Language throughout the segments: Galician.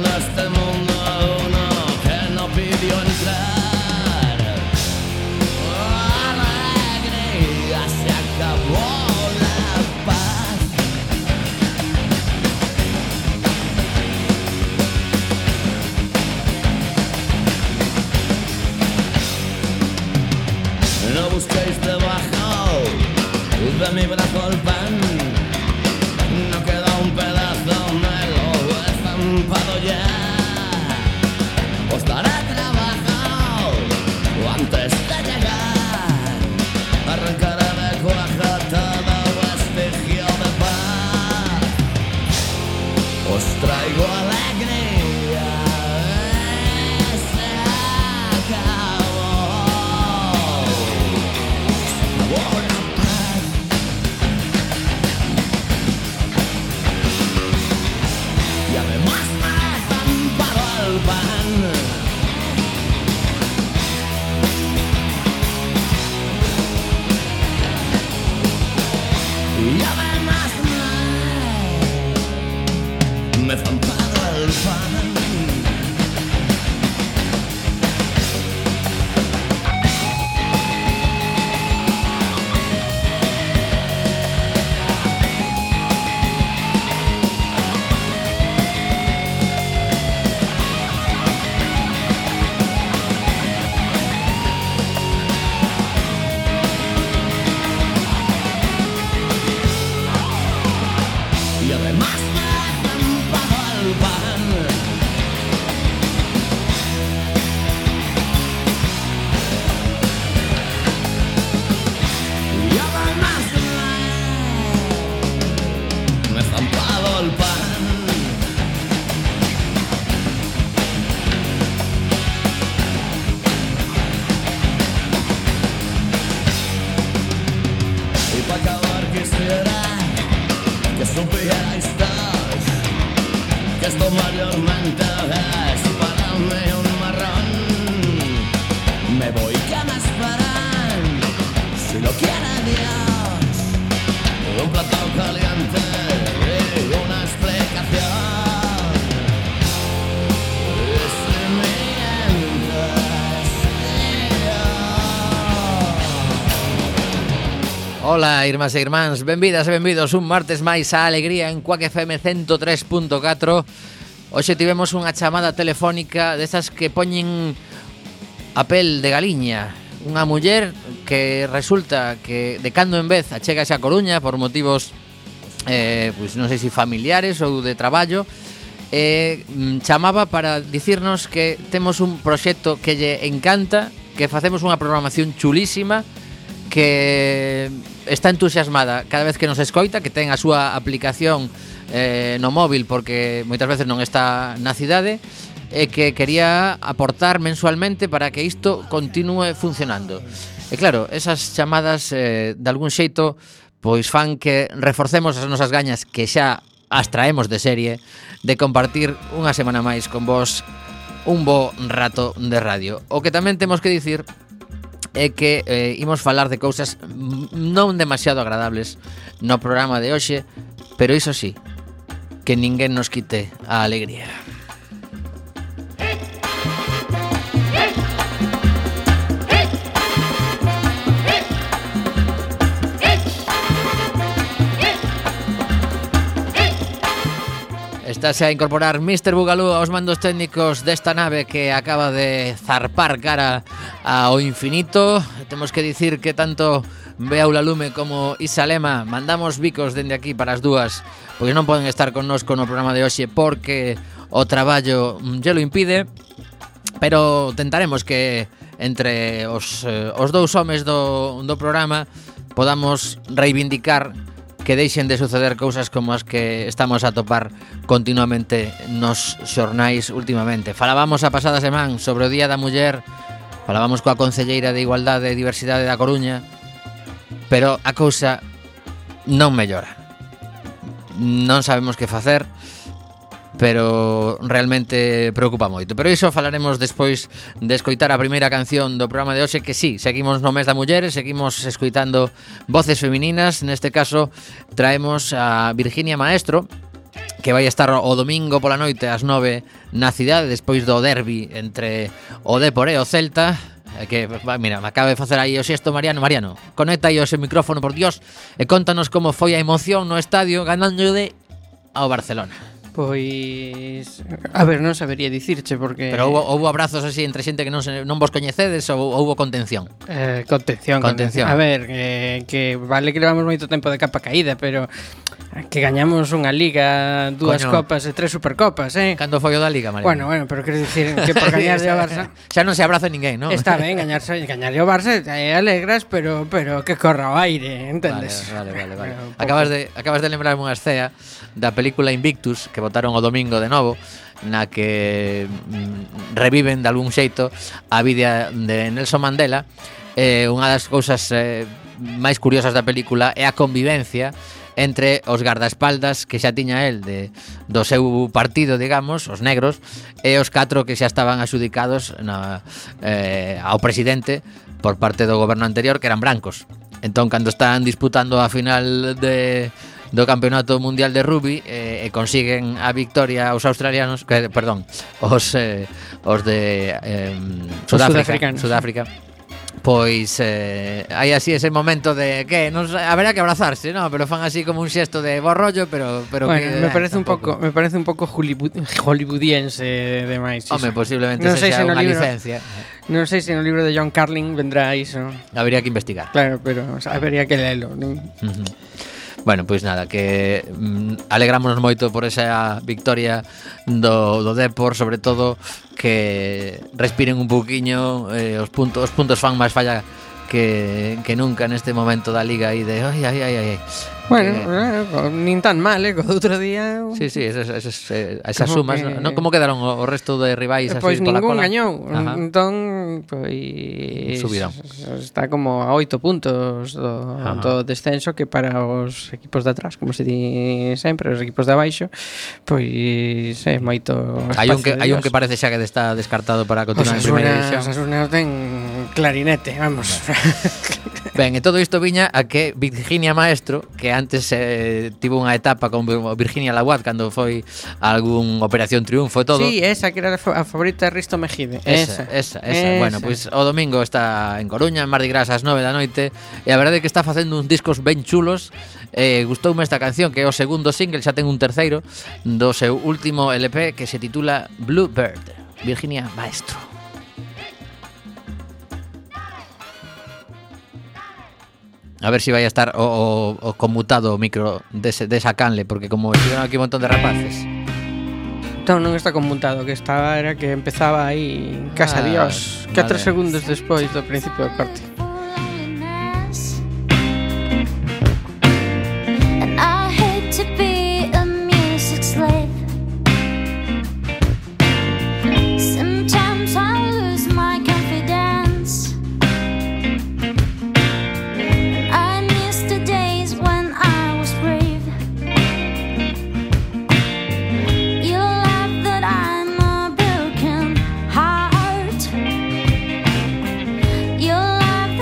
de este mundo uno que no pidió entrar. Alegría, se acabó la paz. No busquéis debajo de mi brazo el pan. No queda un pedazo, me lo he estampado ya. Os daré trabajo antes de llegar. Arrancaré de cuaja todo vestigio de paz. Os traigo alegría. Se acabó. Se acabó la paz. Y además me he estampado el pan. Y además me he estampado el pan. Y además me he estampado el pan. Y además me he estampado el pan. Y para acabar quisiera que supierais todos que esto mayormente es para mí un marrón. Me voy, que me esperan, si lo quiere Dios, un plato caliente y una explicación. Y si mientes, Ola, irmás e irmáns, benvidas e benvidos un martes máis á Alegría en Quack FM 103.4. Hoxe tivemos unha chamada telefónica desas que poñen a pel de galiña. Unha muller que resulta que de cando en vez achégase a Coruña por motivos, pois non sei se familiares ou de traballo. Chamaba para dicirnos que temos un proxecto que lle encanta, que facemos unha programación chulísima, que está entusiasmada cada vez que nos escoita, que ten a súa aplicación no móvil porque moitas veces non está na cidade, e que quería aportar mensualmente para que isto continue funcionando. E claro, esas chamadas de algún xeito pois fan que reforcemos as nosas gañas, que xa as traemos de serie, de compartir unha semana máis con vos un bo rato de radio. O que tamén temos que dicir é que imos falar de cousas non demasiado agradables no programa de hoxe, pero iso sí, que ninguén nos quite a alegría. Estase a incorporar Mr. Bugalú aos mandos técnicos desta nave que acaba de zarpar cara ao infinito. Temos que dicir que tanto Beaula Lume como Isa Lema mandamos bicos dende aquí para as dúas, porque non poden estar connosco no programa de hoxe porque o traballo lle lo impide, pero tentaremos que entre os dous homes do programa podamos reivindicar que deixen de suceder cousas como as que estamos a topar continuamente nos xornais últimamente. Falábamos a pasada semana sobre o Día da Muller, falábamos coa Concelleira de Igualdade e Diversidade da Coruña, pero a cousa non mellora. Non sabemos que facer, pero realmente preocupa moito. Pero iso falaremos despois de escoitar a primeira canción do programa de hoxe, que sí, seguimos no mes da muller, seguimos escoitando voces femininas. Neste caso traemos a Virginia Maestro, que vai estar o domingo pola noite ás 9 na cidade, despois do derbi entre o Depor e o Celta. Que, mira, me acaba de facer aí o xesto Mariano. Conecta aí o seu micrófono, por Dios, e contanos como foi a emoción no estadio ganándolle ao Barcelona. Pois, a ver, non sabería dicirche porque... Pero houbo abrazos así entre xente que non vos coñecedes ou houbo contención? Contención. A ver, que vale que levamos moito tempo de capa caída, pero que gañamos unha liga, dúas copas e tres supercopas, Cando foi o da liga, María? Bueno, pero quero dicir que por gañarlle ao Barça... Xa non se abraza ninguén, non? Está ben, gañarlle ao Barça alegras, pero que corra o aire, entendes? Vale. Acabas de lembrarme unha escena da película Invictus que botaron o domingo de novo, na que reviven de algún xeito a vida de Nelson Mandela. Unha das cousas máis curiosas da película é a convivencia entre os guardaespaldas que xa tiña el do seu partido, digamos, os negros, e os 4 que xa estaban axudicados ao presidente por parte do goberno anterior, que eran brancos. Entón, cando están disputando a final do Campeonato Mundial de Rugby e consiguen a victoria os australianos, os de Sudáfrica. Pois hai así ese momento de que haberá que abrazarse, ¿no? Pero fan así como un xesto de bo rollo, pero bueno, que, me parece un pouco hollywoodiense demais. Home, posiblemente sexa unha licencia. Non sei se no libro de John Carlin vendrá iso. Habería que investigar. Claro, pero habería que lelo, non? Bueno, pois nada, que alegrámonos moito por esa victoria do Depor, sobre todo que respiren un pouquiño, os puntos fan máis falla que nunca neste momento da liga aí de ai. Bueno, nin tan mal, co outro día. Sí, esas sumas, non como quedaron o resto de rivais así pois pola ningún cola? gañou. Entón, pois subirán. Está como a 8 puntos do descenso, que para os equipos de atrás, como se di sempre, os equipos de abaixo, pois é moito. Hai un que parece xa que está descartado para continuar en primeira división. Osasuna ten clarinete, vamos. Ben, e todo isto viña a que Virginia Maestro, que antes tivo unha etapa con Virginia Laguat cando foi a algún Operación Triunfo e todo. Sí, esa que era a favorita de Risto Mejide. Esa. Bueno, pois o domingo está en Coruña, en Mardi Gras ás 9 da noite, e a verdade é que está facendo uns discos ben chulos. Gustoume esta canción, que é o segundo single, xa ten un terceiro do seu último LP, que se titula Bluebird. Virginia Maestro. A ver se vai a estar o conmutado o micro desa canle, porque como estiveron aquí un montón de rapaces. Entón non está conmutado, que estaba era que empezaba aí Casa Dios, 4 segundos despois do principio do corte. Your love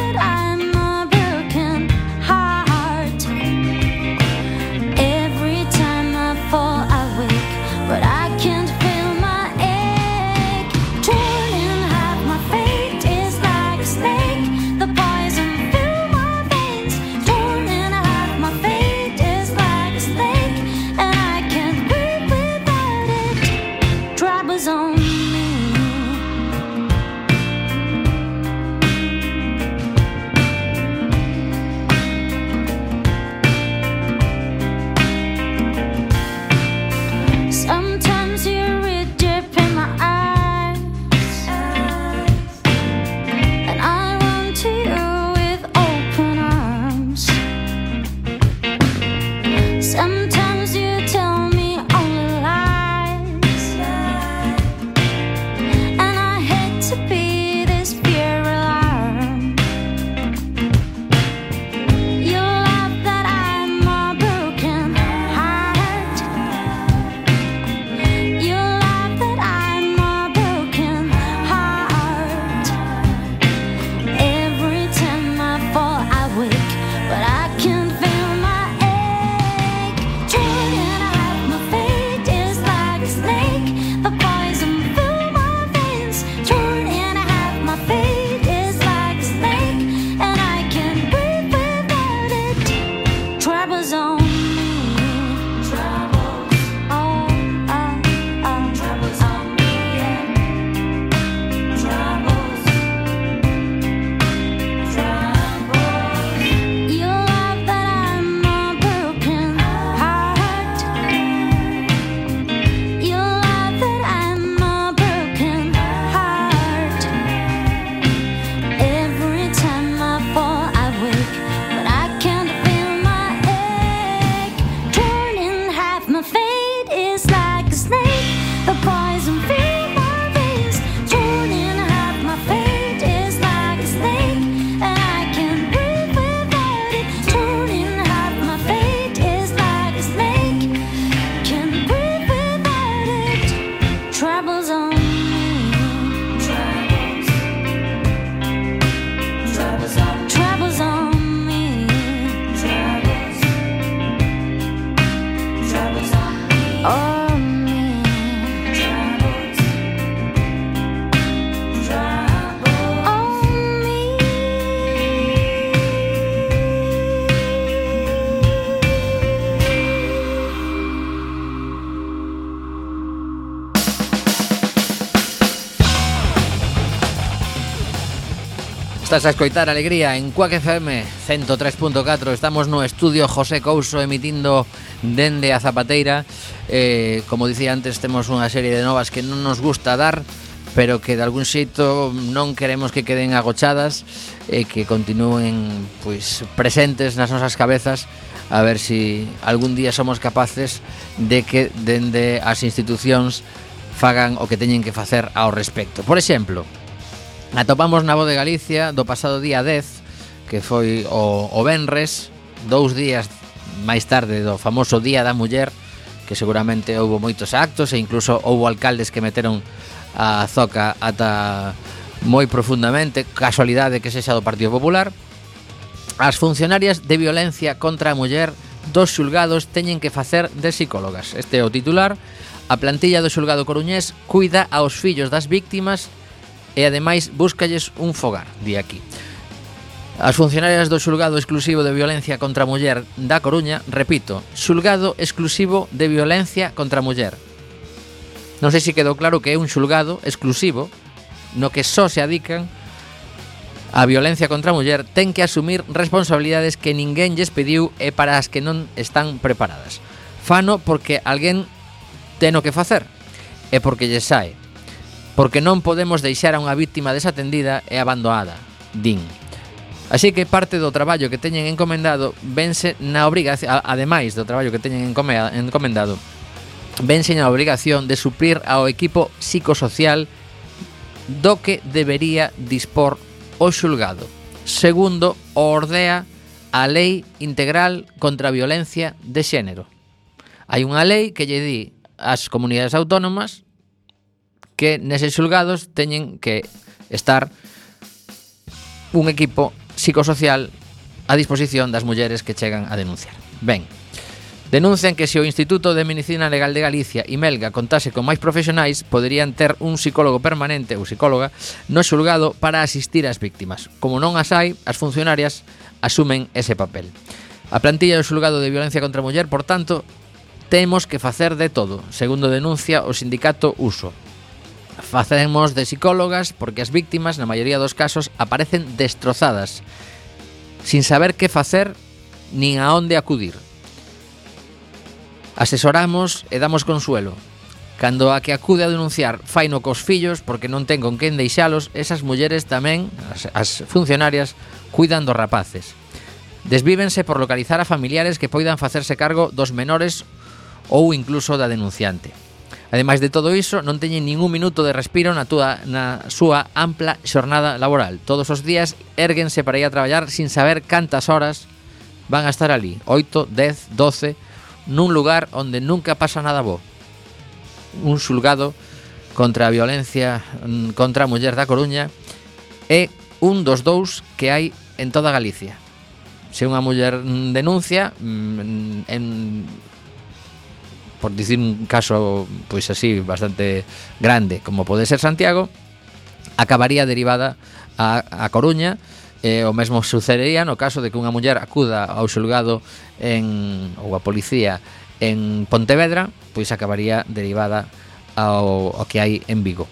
Estás a escoitar Alegría en Cuac FM 103.4. Estamos no estudio José Couso emitindo dende a Zapateira. Como dicía antes, temos unha serie de novas que non nos gusta dar, pero que de algún xeito non queremos que queden agochadas e que continúen pois presentes nas nosas cabezas, a ver si algún día somos capaces de que dende as institucións fagan o que teñen que facer ao respecto. Por exemplo, atopamos na Voz de Galicia do pasado día 10, que foi o venres, 2 días máis tarde do famoso Día da Muller, que seguramente houbo moitos actos e incluso houbo alcaldes que meteron a zoca ata moi profundamente, casualidade que sexa do Partido Popular. As funcionarias de violencia contra a muller dos xulgados teñen que facer de psicólogas. Este é o titular. A plantilla do xulgado coruñés cuida aos fillos das víctimas e ademais búscalles un fogar, di aquí. As funcionarias do xulgado exclusivo de violencia contra a muller da Coruña, repito, xulgado exclusivo de violencia contra a muller. Non sei se quedou claro que é un xulgado exclusivo no que só se adican a violencia contra a muller, ten que asumir responsabilidades que ninguén lles pediu e para as que non están preparadas. Fano porque alguén ten o que facer e porque lles sae. Porque non podemos deixar a unha víctima desatendida e abandonada, din. Así que parte do traballo que teñen encomendado vense na obrigación, ademais do traballo que teñen encomendado, vense na obrigación de suplir ao equipo psicosocial do que debería dispor o xulgado, segundo o ordea a Lei Integral contra a Violencia de Xénero. Hai unha lei que lle di ás comunidades autónomas que neses xulgados teñen que estar un equipo psicosocial a disposición das mulleres que chegan a denunciar. Ben, denuncian que se o Instituto de Medicina Legal de Galicia e Melga contase con máis profesionais, poderían ter un psicólogo permanente ou psicóloga no xulgado para asistir ás víctimas. Como non as hai, as funcionarias asumen ese papel. A plantilla do xulgado de violencia contra a muller, por tanto, temos que facer de todo, segundo denuncia o sindicato USO. Facemos de psicólogas porque as víctimas, na maioría dos casos, aparecen destrozadas, sin saber que facer nin a onde acudir. Asesoramos e damos consuelo. Cando a que acude a denunciar faino cos fillos porque non ten con quen deixalos, esas mulleres tamén, as funcionarias, cuidan dos rapaces. Desvívense por localizar a familiares que poidan facerse cargo dos menores ou incluso da denunciante. Ademais de todo iso, non teñen ningún minuto de respiro na súa ampla xornada laboral. Todos os días érguense para ir a traballar sin saber cantas horas van a estar ali. 8, 10, 12, nun lugar onde nunca pasa nada bo. Un xulgado contra a violencia contra a muller da Coruña é un dos dous que hai en toda Galicia. Se unha muller denuncia, por dicir un caso pois así bastante grande como pode ser Santiago, acabaría derivada a Coruña. O mesmo sucedería no caso de que unha muller acuda ao xulgado ou a policía en Pontevedra, pois acabaría derivada ao que hai en Vigo.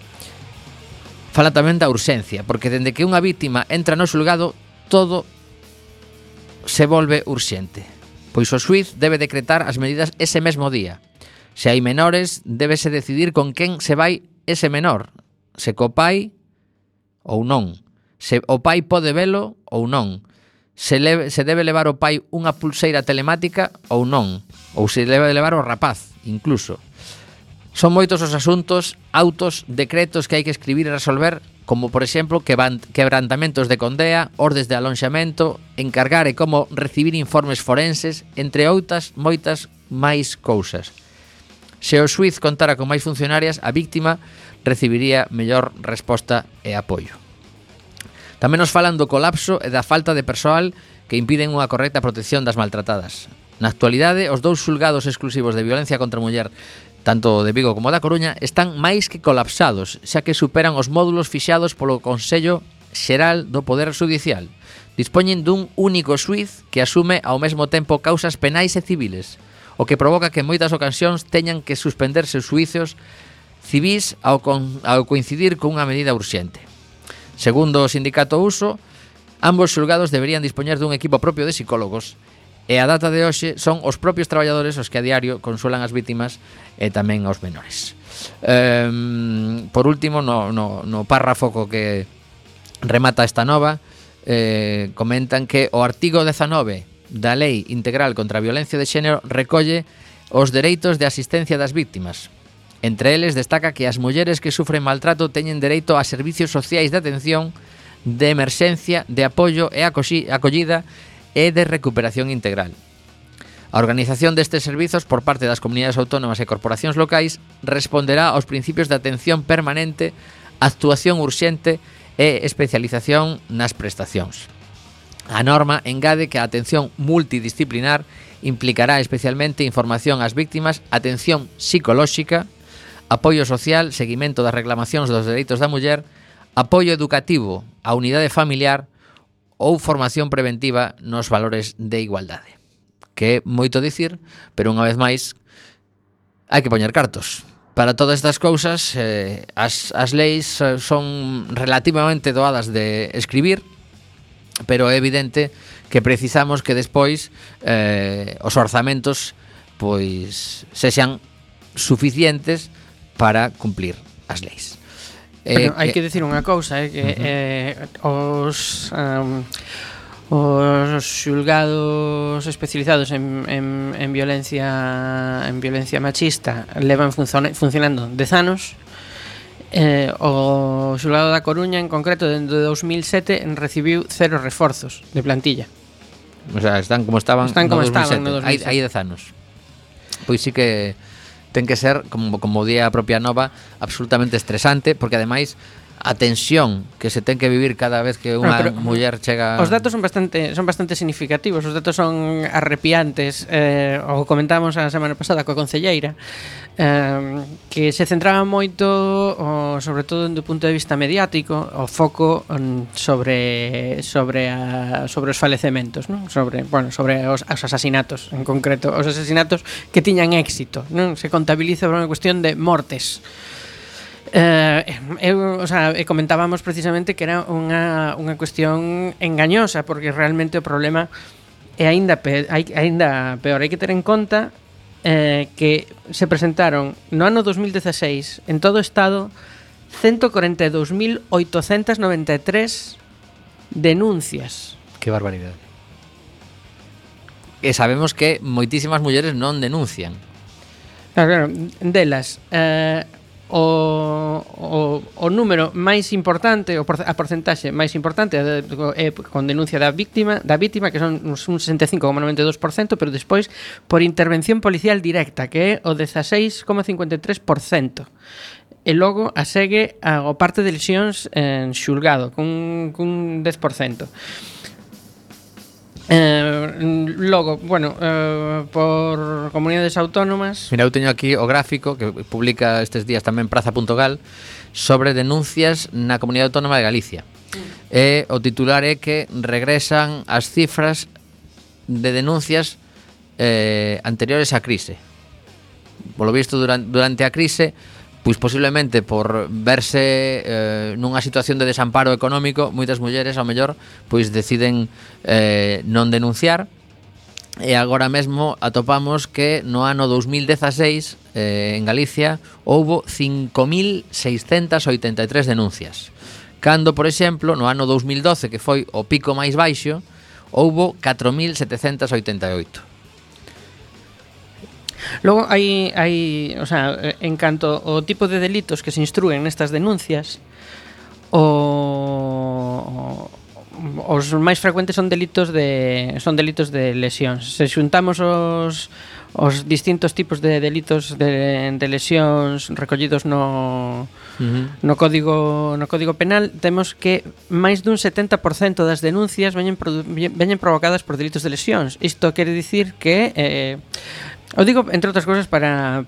Fala tamén da urxencia, porque dende que unha vítima entra no xulgado, todo se volve urxente, pois o xuíz debe decretar as medidas ese mesmo día. Se hai menores, débese decidir con quen se vai ese menor, se co pai ou non, se o pai pode velo ou non, se debe levar o pai unha pulseira telemática ou non, ou se debe levar o rapaz, incluso. Son moitos os asuntos, autos, decretos que hai que escribir e resolver, como por exemplo quebrantamentos de condea, ordes de alonxamento, encargar e como recibir informes forenses, entre outras moitas máis cousas. Se o xuíz contara con máis funcionarias, a víctima recibiría mellor resposta e apoio. Tamén nos falan do colapso e da falta de persoal que impiden unha correcta protección das maltratadas. Na actualidade, os 2 xulgados exclusivos de violencia contra a muller, tanto de Vigo como da Coruña, están máis que colapsados, xa que superan os módulos fixados polo Consello Xeral do Poder Judicial. Dispoñen dun único xuíz que asume ao mesmo tempo causas penais e civiles, o que provoca que en moitas ocasións teñan que suspenderse os xuicios civís ao coincidir con unha medida urxente. Segundo o sindicato Uso, ambos xulgados deberían dispoñer dun equipo propio de psicólogos e a data de hoxe son os propios traballadores os que a diario consuelan as vítimas e tamén aos menores. Por último, no párrafo co que remata esta nova, comentan que o artigo 19 da Lei Integral contra a Violencia de Xénero recolle os dereitos de asistencia das vítimas. Entre eles destaca que as mulleres que sufren maltrato teñen dereito a servicios sociais de atención, de emerxencia, de apoio e acollida e de recuperación integral. A organización destes servizos por parte das comunidades autónomas e corporacións locais responderá aos principios de atención permanente, actuación urxente e especialización nas prestacións. A norma engade que a atención multidisciplinar implicará especialmente información ás víctimas, atención psicolóxica, apoio social, seguimento das reclamacións dos dereitos da muller, apoio educativo á unidade familiar ou formación preventiva nos valores de igualdade. Que é moito dicir, pero unha vez máis hai que poñer cartos. Para todas estas cousas, as leis son relativamente doadas de escribir, pero é evidente que precisamos que despois os orzamentos pois sexan suficientes para cumplir as leis. Pero hai que decir unha cousa, que os xulgados especializados en violencia machista levan funcionando 10 anos. O xulgado da Coruña en concreto dende 2007 recibiu 0 reforzos de plantilla. O sea, están como estaban no 2007. 2007. Hai 10 anos. Pois sí que ten que ser, como día a propia nova, absolutamente estresante, porque ademais a tensión que se ten que vivir cada vez que unha muller chega... Os datos son bastante significativos, os datos son arrepiantes. O comentábamos a semana pasada coa concelleira, que se centraba moito, sobre todo do punto de vista mediático, o foco sobre os falecementos, non? Sobre os asasinatos, en concreto, os asasinatos que tiñan éxito, non? Se contabiliza por unha cuestión de mortes. Comentábamos precisamente que era unha cuestión engañosa, porque realmente o problema é aínda peor. Hai que ter en conta que se presentaron no ano 2016 en todo o Estado 142.893 denuncias. Que barbaridade. E sabemos que moitísimas mulleres non denuncian. Claro, delas o número máis importante, a porcentaxe máis importante é con denuncia da vítima, que son un 65,92%, pero despois por intervención policial directa, que é o 16,53%. E logo a segue o parte de lesións en xulgado, cun 10%. Logo, bueno, por comunidades autónomas. Mira, eu teño aquí o gráfico que publica estes días tamén Praza.gal sobre denuncias na Comunidade Autónoma de Galicia. E o titular é que regresan as cifras de denuncias anteriores á crise. Polo visto, durante a crise, pois posiblemente por verse nunha situación de desamparo económico, moitas mulleres ao mellor pois deciden non denunciar, e agora mesmo atopamos que no ano 2016 en Galicia houbo 5.683 denuncias, cando, por exemplo, no ano 2012, que foi o pico máis baixo, houbo 4.788. Logo hai, o sea, en canto ao tipo de delitos que se instruen nestas denuncias, os máis frecuentes son delitos de lesións. Se xuntamos os distintos tipos de delitos de lesións recollidos no Código Penal, temos que máis dun 70% das denuncias veñen provocadas por delitos de lesións. Isto quere dicir que o digo, entre outras cousas, para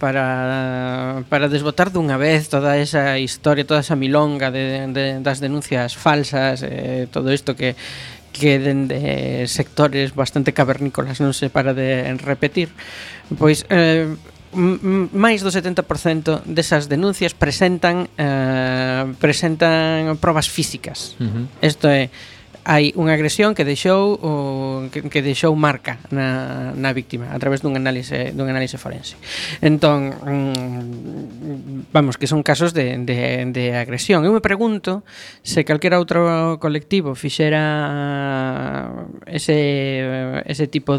desbotar dunha vez toda esa historia, toda esa milonga das denuncias falsas, todo isto que dende sectores bastante cavernícolas non se para de repetir. Pois máis do 70% desas denuncias presentan probas físicas. Isto é, hai unha agresión que deixou marca na víctima a través dun análise forense. Entón, vamos, que son casos de agresión. Eu me pregunto se calquera outro colectivo fixera ese tipo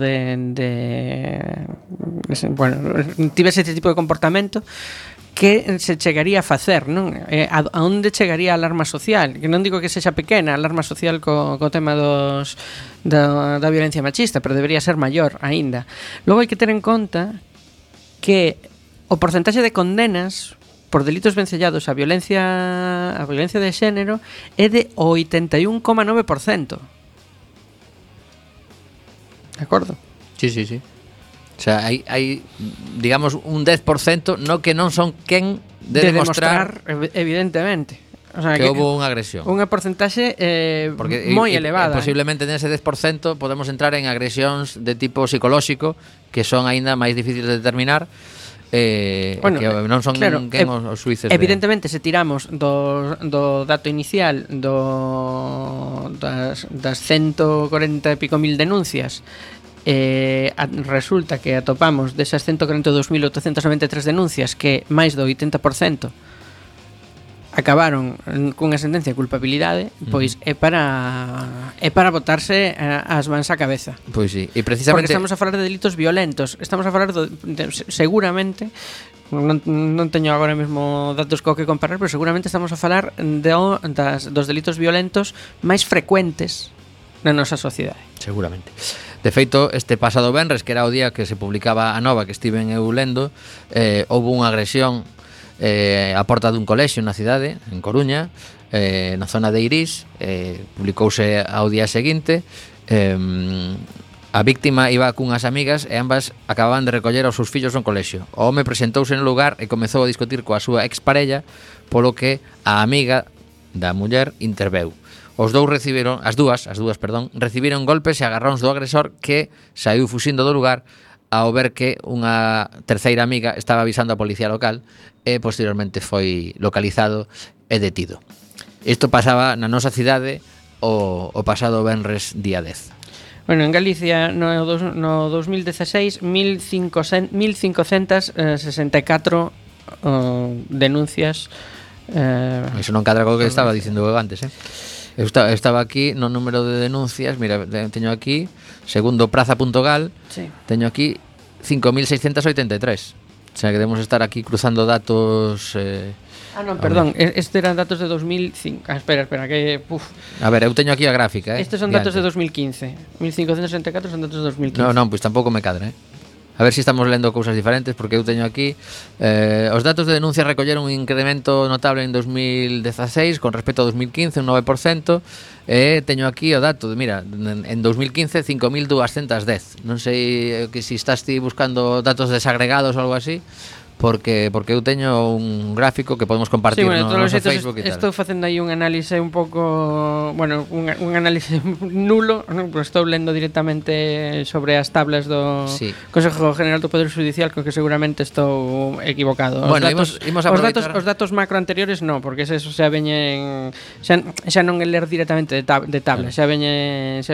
tivese ese tipo de comportamento, que se chegaría a facer, non? A onde chegaría a alarma social? Que non digo que sexa pequena a alarma social co tema da violencia machista, pero debería ser maior aínda. Logo hai que ter en conta que o porcentaxe de condenas por delitos vencellados a violencia de xénero é de 81,9%. De acordo? Sí. O sea, hai digamos, un 10% no que non son quen de demostrar evidentemente. O sea, que houve unha agresión. Unha porcentaxe moi elevada. Posiblemente nese 10% podemos entrar en agresións de tipo psicolóxico, que son aínda máis difíciles de determinar, que non son quen os xuíces. Evidentemente, se tiramos do dato inicial das 140 e pico mil denuncias, resulta que atopamos desas 142.893 denuncias que máis do 80% acabaron cunha sentencia de culpabilidade, pois é para botarse as mans á cabeza. Pois sí, e precisamente porque estamos a falar de delitos violentos, estamos a falar seguramente, non teño agora mesmo datos co que comparar, pero seguramente estamos a falar dos delitos violentos máis frecuentes na nosa sociedade. Seguramente. De feito, este pasado venres, que era o día que se publicaba a nova que estiven eu lendo, houve unha agresión a porta dun colexio na cidade, en Coruña, na zona de Irís. Publicouse ao día seguinte. A víctima iba cunhas amigas e ambas acababan de recoller aos seus fillos no colexio. O home presentouse no lugar e comezou a discutir coa súa exparella, polo que a amiga da muller interveu. As dúas recibiron golpes e agarróns do agresor, que saiu fuxindo do lugar ao ver que unha terceira amiga estaba avisando a policía local, e posteriormente foi localizado e detido. Isto pasaba na nosa cidade o pasado venres día 10. Bueno, en Galicia no 2016 1.564 denuncias. Iso non cadra co que estaba dicindo antes, Eu estaba aquí no número de denuncias. Mira, teño aquí, segundo Praza.gal, sí, teño aquí 5.683. O sea, que debemos estar aquí cruzando datos. Perdón, este eran datos de 2005. Espera, que... A ver, eu teño aquí a gráfica. Estes son datos de 2015. 1.564 son datos de 2015. Non, pois tampouco me cadra, A ver se estamos lendo cousas diferentes, porque eu teño aquí os datos de denuncia recolleron un incremento notable en 2016 con respecto a 2015, un 9%, e teño aquí o dato, mira, en 2015 5.210. Non sei que se estás ti buscando datos desagregados ou algo así, porque eu teño un gráfico que podemos compartir no noso Facebook e tal. Estou facendo aí un análise un pouco, bueno, un análise nulo, non? Pues estou lendo directamente sobre as tablas do Consejo General do Poder Judicial, co que seguramente estou equivocado. Bueno, imos aproveitar os datos macro anteriores non, porque eso xa veñen xa non é ler directamente de tablas, xa veñen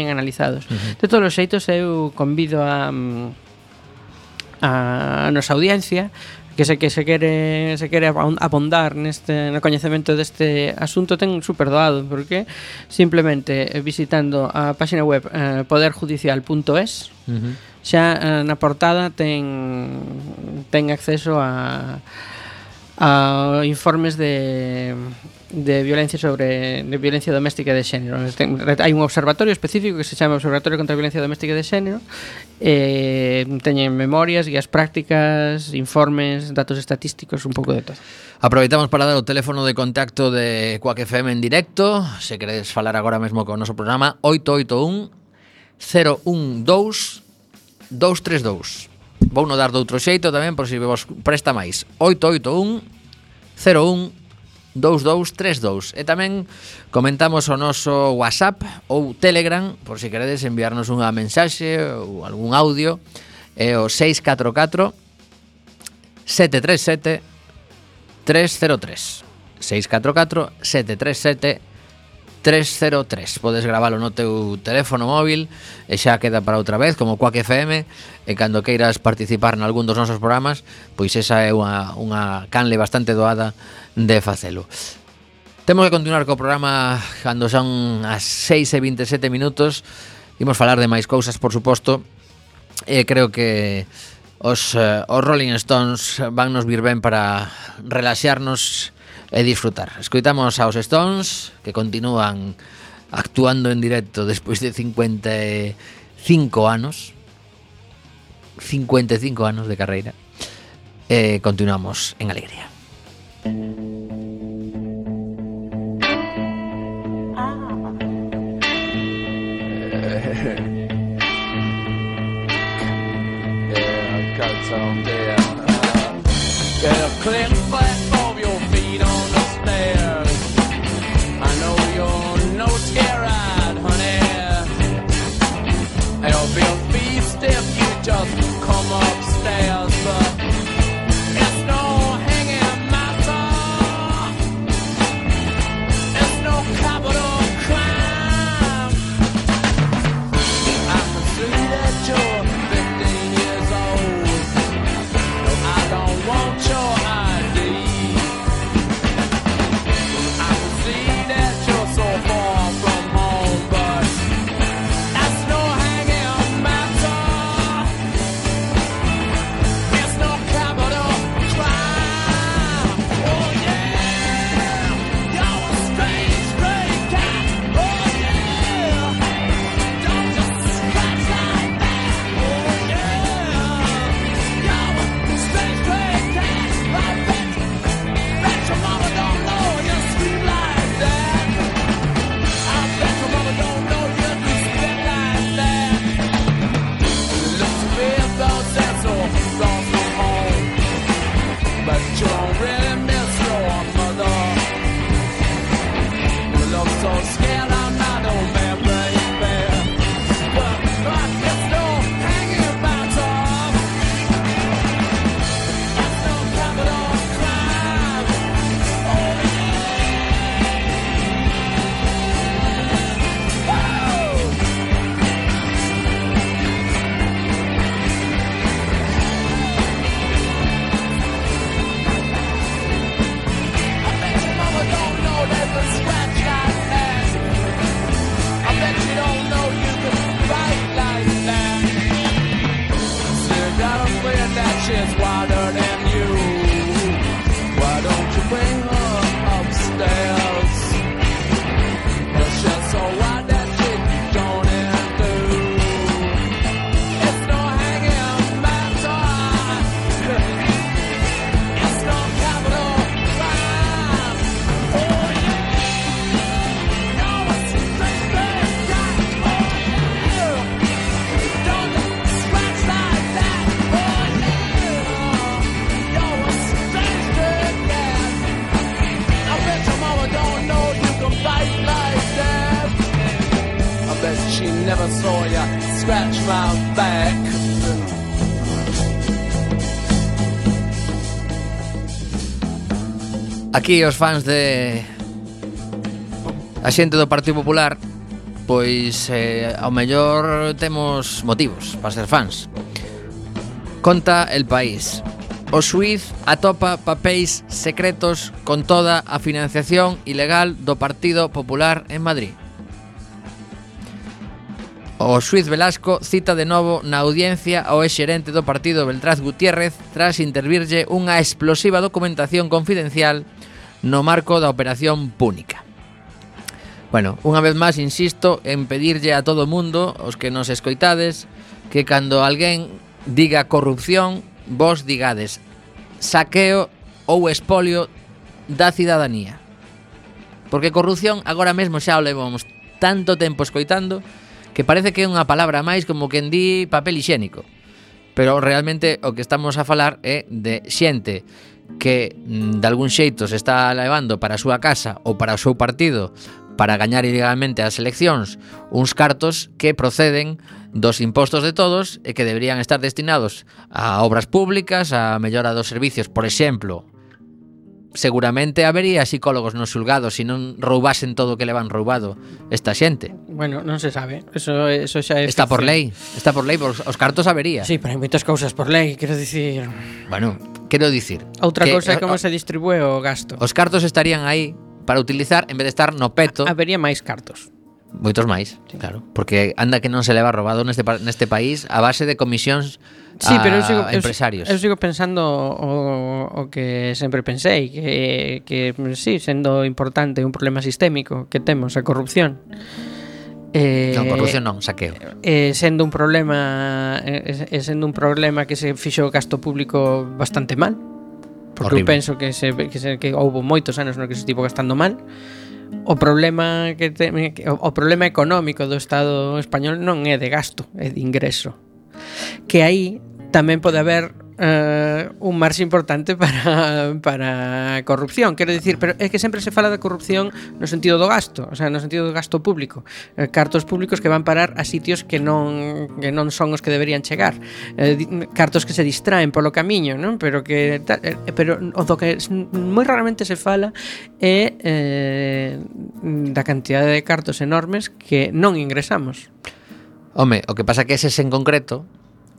analizados. De todos os xeitos eu convido a nosa audiencia que se quere abondar no coñecemento deste asunto, ten super doado, porque simplemente visitando a página web poderjudicial.es xa na portada ten acceso a informes de violencia violencia doméstica e de xénero. Hai un observatorio específico que se chama Observatorio contra a Violencia Doméstica e de Xénero, teñen memorias, guías prácticas, informes, datos estatísticos, un pouco de todo. Aproveitamos para dar o teléfono de contacto de Quack FM en directo. Se queredes falar agora mesmo con o noso programa, 881 012 232. Vou no dar de outro xeito tamén, por si vos presta máis. 881 01 2232. E tamén comentamos o noso WhatsApp ou Telegram, por si queredes enviarnos unha mensaxe ou algún audio, é o 644 737 303. 644 737 303. Podes gravalo no teu teléfono móvil e xa queda para outra vez, como Quack FM, e cando queiras participar nalgún dos nosos programas, pois esa é unha canle bastante doada de facelo. Temos que continuar co programa cando son as 6:27 minutos. Imos falar de máis cousas, por suposto, e creo que os Rolling Stones van nos vir ben para relaxarnos e disfrutar. Escoitamos aos Stones, que continúan actuando en directo despois de 55 anos. 55 anos de carreira. E continuamos en alegría. Just come upstairs, but it's no hanging she never saw ya scratch my back. Aquí os fans de a xente do Partido Popular, pois ao mellor temos motivos para ser fans. Conta El País: o xuíz atopa papéis secretos con toda a financiación ilegal do Partido Popular en Madrid. O xuíz Velasco cita de novo na audiencia ao exxerente do partido Beltrán Gutiérrez tras intervirlle unha explosiva documentación confidencial no marco da Operación Púnica. Bueno, unha vez máis insisto en pedirlle a todo o mundo, os que nos escoitades, que cando alguén diga corrupción, vos digades saqueo ou expolio da cidadanía. Porque corrupción agora mesmo xa o levamos tanto tempo escoitando que parece que é unha palabra máis como quen di papel hixiénico. Pero realmente o que estamos a falar é de xente que de algún xeito se está levando para a súa casa ou para o seu partido para gañar ilegalmente as eleccións uns cartos que proceden dos impostos de todos e que deberían estar destinados a obras públicas, a mellora dos servicios, por exemplo. Seguramente habería psicólogos nos xulgados se non roubasen todo o que levan roubado esta xente. Bueno, non se sabe. Eso xa é Está por ficción. lei. Está por lei, os cartos habería. Sí, pero hai moitas cousas por lei, quero dicir. Bueno, quero dicir Outra que cousa é como se distribúe o gasto. os cartos estarían aí para utilizar en vez de estar no peto. Habería máis cartos. Moitos máis, claro. Porque anda que non se leva robado neste país a base de comisións Sí, pero a empresarios. Eu sigo pensando o que sempre pensei, que sí, sendo importante un problema sistémico que temos a corrupción. Non, corrupción non, saqueo. Sendo un problema que se fixo o gasto público bastante mal. Porque Horrible. eu penso que houve moitos anos no que se estivo gastando mal. O problema o problema económico do Estado español non é de gasto, é de ingreso. Que aí tamén pode haber un marxe importante para a corrupción, quero dicir, pero é que sempre se fala da corrupción no sentido do gasto, o sea, no sentido do gasto público, cartos públicos que van parar a sitios que non son os que deberían chegar, cartos que se distraen polo camiño, non? Pero o do que moi raramente se fala é da cantidade de cartos enormes que non ingresamos. Home, o que pasa que eses en concreto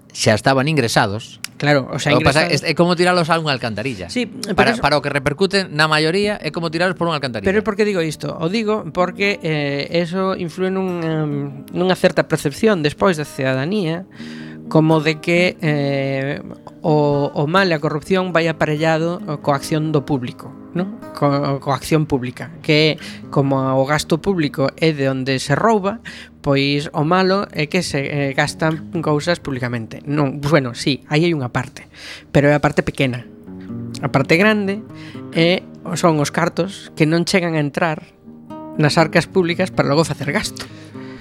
xa estaban ingresados. Claro, o sea, O que pasa é como tiralos a unha alcantarilla. Sí, para o que repercute na maioría é como tiralos por unha alcantarilla. Pero por que digo isto? O digo porque eso influe nunha certa percepción despois da cidadanía como de que o mal e a corrupción vai aparellado coa acción do público, ¿no? Coa acción pública, que como o gasto público é de onde se rouba, pois o malo é que se gastan cousas públicamente. Non, bueno, sí, aí hai unha parte, pero é a parte pequena. A parte grande son os cartos que non chegan a entrar nas arcas públicas para logo facer gasto.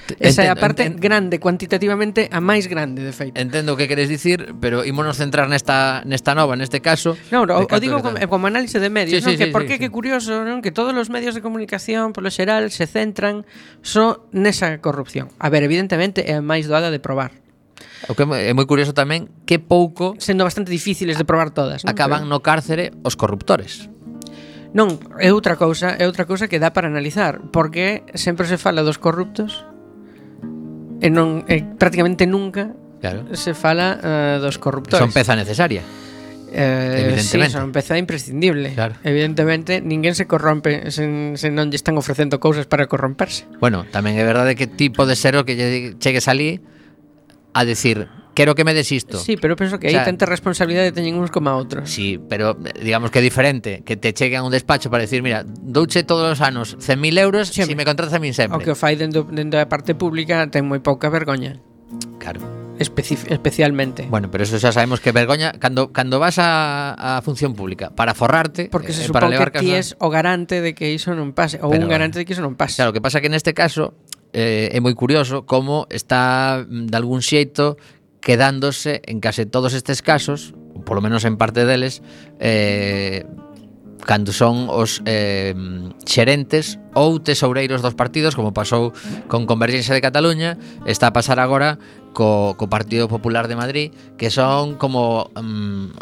Esa é a parte grande, cuantitativamente a máis grande, de feito. Entendo o que queres dicir, pero ímonos centrar nesta nova, neste caso. Non, o digo como análise de medios, sí, non? Que sí, por sí, que curioso, non? Que todos os medios de comunicación, polo xeral, se centran só nesa corrupción. A ver, evidentemente é a máis doada de probar. O que é moi curioso tamén que pouco sendo bastante difíciles de probar todas, non? Acaban no cárcere os corruptores. Non, é outra cousa que dá para analizar, porque sempre se fala dos corruptos e non prácticamente nunca se fala dos corruptores. Son peza necesaria. Sí, Evidentemente. son peza imprescindible. Claro. Evidentemente, ninguén se corrompe se non lle están ofrecendo cousas para corromperse. Bueno, tamén é verdade que ti podes ser o que chegues ali a decir, quero que me des isto. Sí, pero penso que aí tanta responsabilidade teñen uns como a outros. Sí, pero digamos que é diferente que te cheguen a un despacho para decir, mira, douche todos os anos 100.000 euros se me contratas a min sempre. O que o fai dentro da parte pública ten moi pouca vergoña. Claro. Especialmente. Bueno, pero eso xa sabemos que vergoña cando vas a función pública para forrarte, porque se para supón levar que ti es o garante de que iso non pase, ou un garante de que iso non pase. Claro, o que pasa que neste caso é moi curioso como está de algún xeito quedándose en case todos estes casos, polo menos en parte deles, cando son os xerentes ou tesoureiros dos partidos, como pasou con Convergencia de Cataluña, está a pasar agora co Partido Popular de Madrid, que son como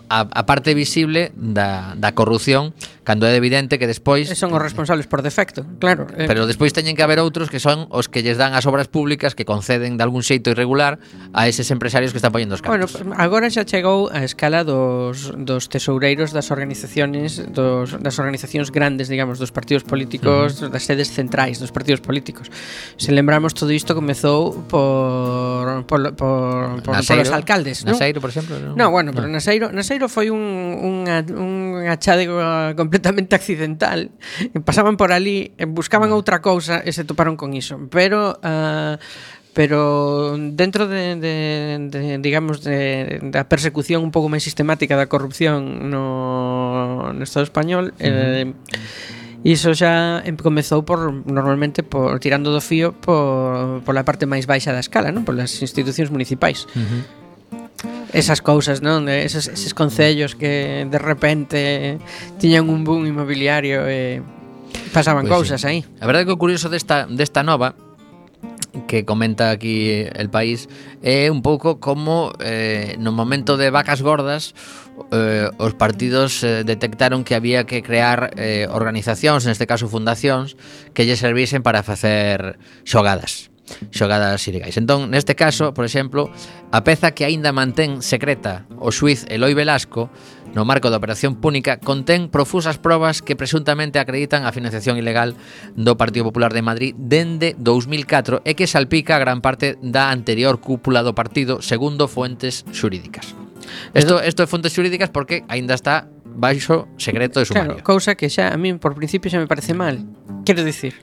a parte visible da corrupción, cando é evidente que despois Son os responsables por defecto, claro. pero despois teñen que haber outros que son os que lles dan as obras públicas, que conceden de algún xeito irregular a eses empresarios que están poñendo os Bueno, cartos. agora xa chegou a escala dos tesoureiros das organizacións grandes, digamos, dos partidos políticos, das sedes centrais dos partidos políticos. Se lembramos, todo isto comezou polos alcaldes, non? Naseiro, por exemplo, No, bueno, pero Naseiro foi un achádego completamente accidental. Pasaban por ali, buscaban outra cousa e se toparon con iso. Pero dentro digamos da persecución un pouco máis sistemática da corrupción no Estado español, iso xa comezou normalmente por tirando do fío pola parte máis baixa da escala, non? Polas institucións municipais. Esas cousas, non? Eses concellos que de repente tiñan un boom inmobiliario e pasaban cousas aí. A verdade que o curioso desta nova que comenta aquí El País é un pouco como no momento de vacas gordas os partidos detectaron que había que crear organizacións, neste caso fundacións, que lle servisen para facer xogadas ilegais. Entón, neste caso, por exemplo, a peza que aínda mantén secreta o xuiz Eloi Velasco no marco da Operación Púnica contén profusas probas que presuntamente acreditan a financiación ilegal do Partido Popular de Madrid dende 2004 e que salpica a gran parte da anterior cúpula do partido, segundo fuentes xurídicas. Isto é fontes xurídicas porque aínda está baixo secreto de sumario. Claro, cousa que xa a min por principio xa me parece mal. Quero dicir,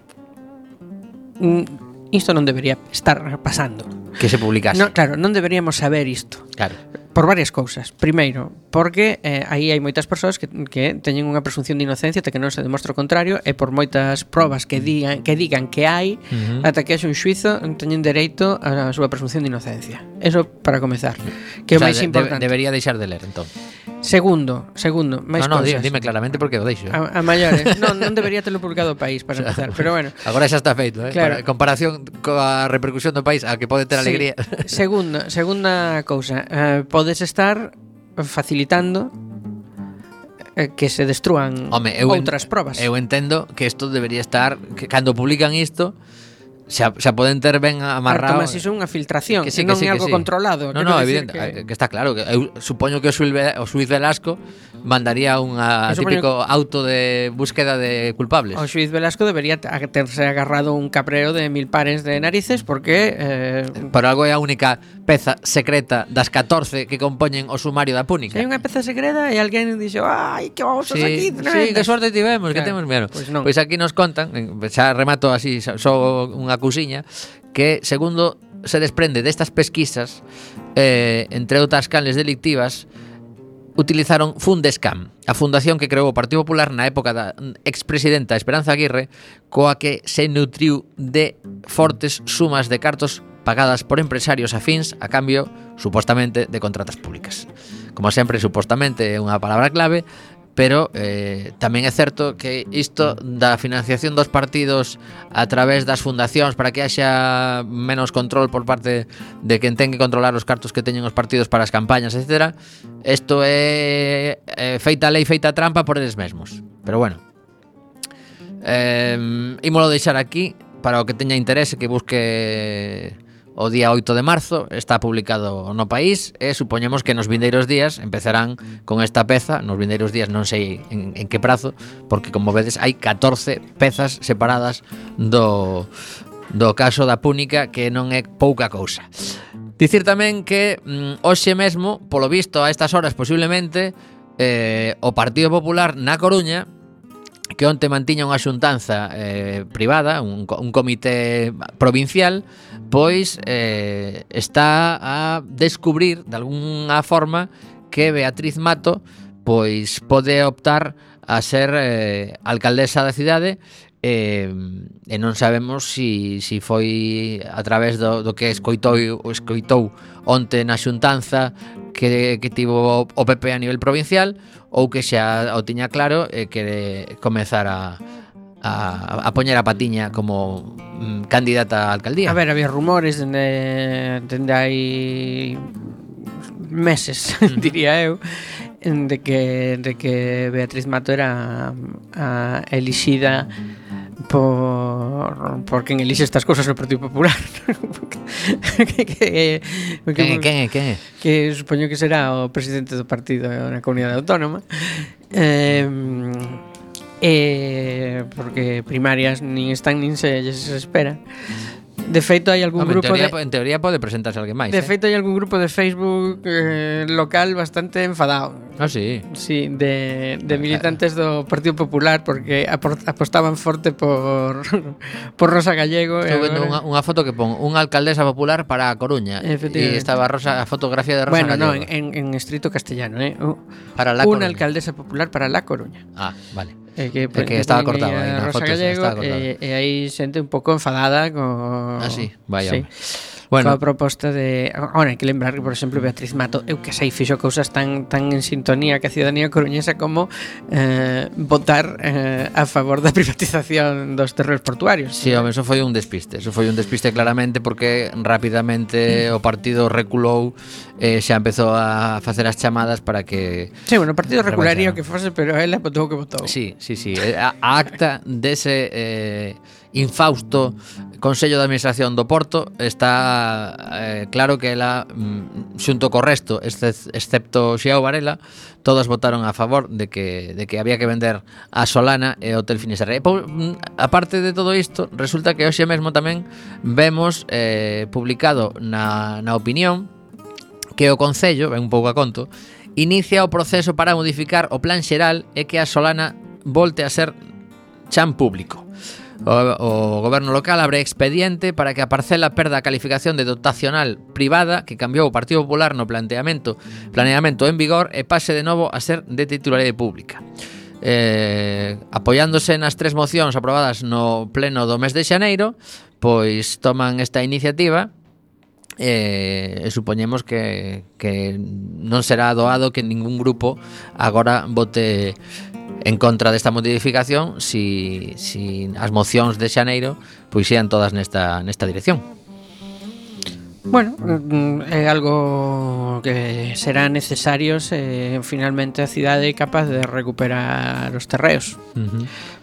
isto non debería estar pasando. Que se publicase. No, claro, non deberíamos saber isto. Claro. Por varias cousas. Primeiro, porque aí hai moitas persoas que teñen unha presunción de inocencia até que non se demostra o contrario, e por moitas probas que digan que hai, ata que haxe un xuizo, teñen dereito á súa presunción de inocencia. Eso para comezar. Que é o máis importante. Debería deixar de ler, entón. Segundo, máis cousas. Dime claramente porque o deixo. A maiores. Non debería telo publicado o País para empezar, pero bueno. Agora xa está feito, Claro. En comparación coa repercusión do País, a que pode ter alegría. Segunda cousa, podes estar facilitando que se destrúan outras probas. Eu entendo que isto debería estar, que cando publican isto xa poden ter ben amarrado. Mas iso é unha filtración, que sí, non que sí, é algo que sí. controlado. No, evidente, que está claro. Que eu supoño que o xuiz Velasco mandaría un típico auto de búsqueda de culpables. O xuiz Velasco debería terse agarrado un capreo de 1000 pares de narices porque por algo é a única peza secreta das 14 que compoñen o sumario da Púnica. Hai unha peza secreta e alguén dixo, ai, que vamos a aquí. Sí, que sorte tivemos, que temos menos. Pois aquí nos contan, xa remato así, só unha cousiña, que segundo se desprende destas pesquisas, entre outras canles delictivas, utilizaron Fundescam, a fundación que creou o Partido Popular na época da expresidenta Esperanza Aguirre, coa que se nutriu de fortes sumas de cartos pagadas por empresarios afíns a cambio, supostamente, de contratas públicas. Como sempre, supostamente é unha palabra clave, pero tamén é certo que isto da financiación dos partidos a través das fundacións para que haxa menos control por parte de quen ten que controlar os cartos que teñen os partidos para as campañas, etc. Isto é feita lei, feita trampa por eles mesmos. Pero bueno, ímolo deixar aquí para o que teña interese, que busque o día 8 de marzo, está publicado no País e supoñemos que nos vindeiros días empezarán con esta peza. Nos vindeiros días non sei en que prazo, porque como vedes hai 14 pezas separadas do caso da Púnica, que non é pouca cousa. Dicir tamén que hoxe mesmo, polo visto a estas horas posiblemente, o Partido Popular na Coruña, que onte mantiña unha xuntanza privada, un comité provincial, pois está a descubrir de algunha forma que Beatriz Mato pois pode optar a ser alcaldesa da cidade, e non sabemos si foi a través do que escoitou onte na xuntanza que tivo o PP a nivel provincial, ou que xa o tiña claro e que comezara a poñer a patiña como candidata a alcaldía. A ver, había rumores dende hai meses, diría eu, de que Beatriz Mato era a elixida por quen elixe estas cousas no Partido Popular. Quen é? Que supoño que será o presidente do partido na Comunidade Autónoma. Porque primarias nin están nin se lles espera. De feito hai algún grupo en teoría pode presentarse alguén máis. De feito hai algún grupo de Facebook local bastante enfadado. Ah, sí. Sí, de militantes do Partido Popular porque apostaban forte por Rosa Gallego. Estou vendo unha foto que pon unha alcaldesa popular para a Coruña e estaba a fotografía de Rosa Gallego. Bueno, en estrito castellano, para la Coruña. Unha alcaldesa popular para La Coruña. Ah, vale. Que estaba cortado aí na foto. Gallego, e aí xente un pouco enfadada con... Ah, sí, vaya. Sí. Bueno, a proposta de... Ahora, hai que lembrar que, por exemplo, Beatriz Mato, eu que sei, fixo cousas tan en sintonía que a ciudadanía coruñesa como votar a favor da privatización dos terreos portuarios. Sí, home, eso foi un despiste claramente, porque rapidamente o partido reculou e xa empezou a facer as chamadas para que... Sí, bueno, o partido recularía o que fose, pero ela votou o que votou. Sí. A acta dese infausto Consello de Administración do Porto está claro que ela xunto co resto, excepto Xiao Varela, todas votaron a favor de que había que vender a Solana e o Hotel Finisterre. Aparte de todo isto, resulta que hoxe mesmo tamén vemos publicado na opinión que o Concello, ben un pouco a conto, inicia o proceso para modificar o plan xeral e que a Solana volte a ser chan público. O goberno local abre expediente para que a parcela perda a calificación de dotacional privada que cambiou o Partido Popular no planeamento en vigor e pase de novo a ser de titularidade pública. Apoiándose nas 3 mocións aprobadas no pleno do mes de xaneiro, pois toman esta iniciativa e supoñemos que non será doado que ningún grupo agora vote en contra desta modificación si as mocións de xaneiro pois sean todas nesta dirección. Bueno, é algo que será necesario se finalmente a cidade é capaz de recuperar os terreos.